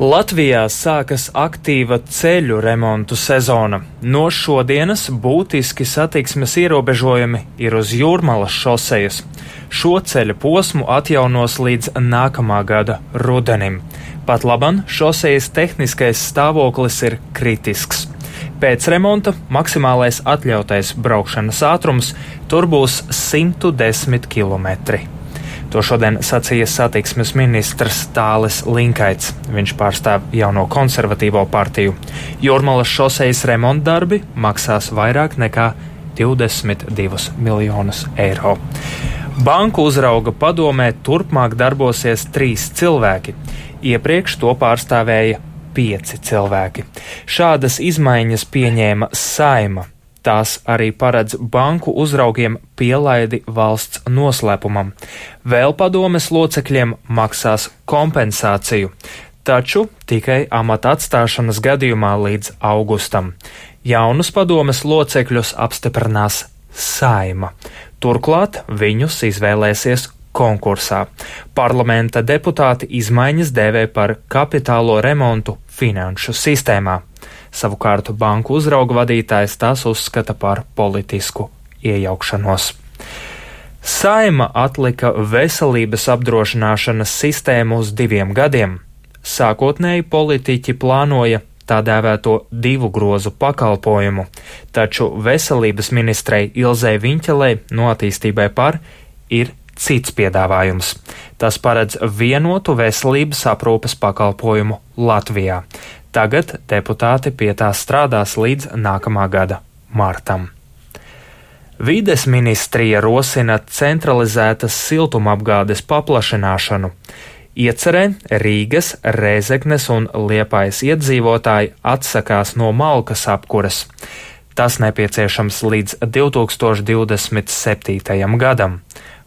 Latvijā sākas aktīva ceļu remontu sezona. No šodienas būtiski satiksmes ierobežojumi ir uz Jūrmalas šosejas. Šo ceļa posmu atjaunos līdz nākamā gada rudenim. Pat laban šosejas tehniskais stāvoklis ir kritisks. Pēc remonta maksimālais atļautais braukšanas ātrums tur būs 110 km. To šodien sacīja satiksmes ministrs Tālis Linkaits. Viņš pārstāv jauno konservatīvo partiju. Jūrmalas šosejas remontdarbi maksās vairāk nekā 22 miljonus eiro. Banku uzrauga padomē turpmāk darbosies 3 cilvēki. Iepriekš to pārstāvēja 5 cilvēki. Šādas izmaiņas pieņēma Saeima. Tās arī paredz banku uzraugiem pielaidi valsts noslēpumam. Vēl padomes locekļiem maksās kompensāciju, taču tikai amata atstāšanas gadījumā līdz augustam. Jaunus padomes locekļus apstiprinās Saeima. Turklāt viņus izvēlēsies konkursā. Parlamenta deputāti izmaiņas dēvē par kapitālo remontu finanšu sistēmā. Savukārt banku uzrauga vadītājs tās uzskata par politisku iejaukšanos. Saeima atlika veselības apdrošināšanas sistēmu uz 2 gadiem. Sākotnēji politiķi plānoja tā dēvēto 2 grozu pakalpojumu, taču veselības ministrei Ilzei Viņķelei no Attīstībai par ir cits piedāvājums. Tas paredz vienotu veselības aprūpes pakalpojumu Latvijā. Tagad deputāti pie tā strādās līdz nākamā gada martam. Vides ministrija rosina centralizētas siltumapgādes paplašināšanu. Iecerē Rīgas, Rēzeknes un Liepājas iedzīvotāji atsakās no malkas apkuras. Tas nepieciešams līdz 2027. gadam.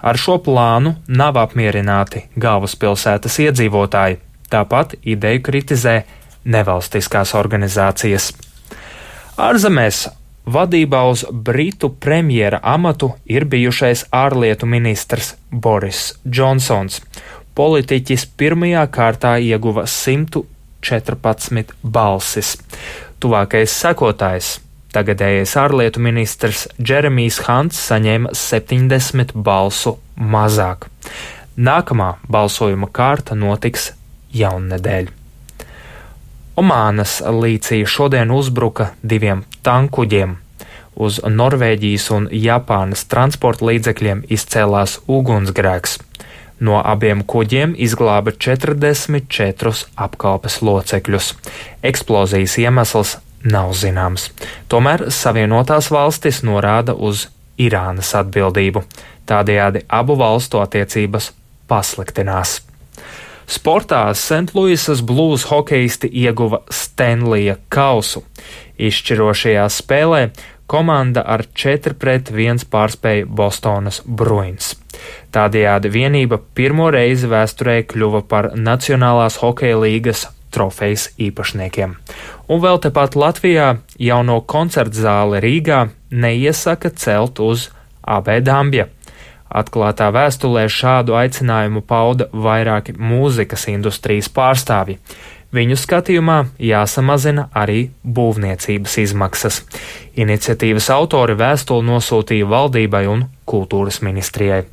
Ar šo plānu nav apmierināti galvaspilsētas iedzīvotāji. Tāpat ideju kritizē nevalstiskās organizācijas. Ārzemēs vadībā uz Britu premjera amatu ir bijušais ārlietu ministrs Boris Džonsons. Politiķis pirmajā kārtā ieguva 114 balsis. Tuvākais sekotājs, tagadējais ārlietu ministrs Džeremijs Hants, saņēma 70 balsu mazāk. Nākamā balsojuma kārta notiks jaunnedēļ. Omānas līcī šodien uzbruka 2 tankuģiem. Uz Norvēģijas un Japānas transporta līdzekļiem izcēlās ugunsgrēks. No abiem kuģiem izglāba 44 apkalpes locekļus. Eksplozijas iemesls nav zināms. Tomēr Savienotās valstis norāda uz Irānas atbildību. Tādējādi abu valstu attiecības pasliktinās. Sportā Sentluisas Blues hokeisti ieguva Stenlija kausu. Izšķirošajā spēlē komanda ar 4-1 pārspēja Bostonas Bruins. Tādējādi vienība pirmo reizi vēsturē kļuva par Nacionālās hokeja līgas trofejas īpašniekiem. Un vēl tepat Latvijā jauno koncertzāli Rīgā neiesaka celt uz AB Dambja. Atklātā vēstulē šādu aicinājumu pauda vairāki mūzikas industrijas pārstāvji. Viņu skatījumā jāsamazina arī būvniecības izmaksas. Iniciatīvas autori vēstuli nosūtīja valdībai un kultūras ministrijai.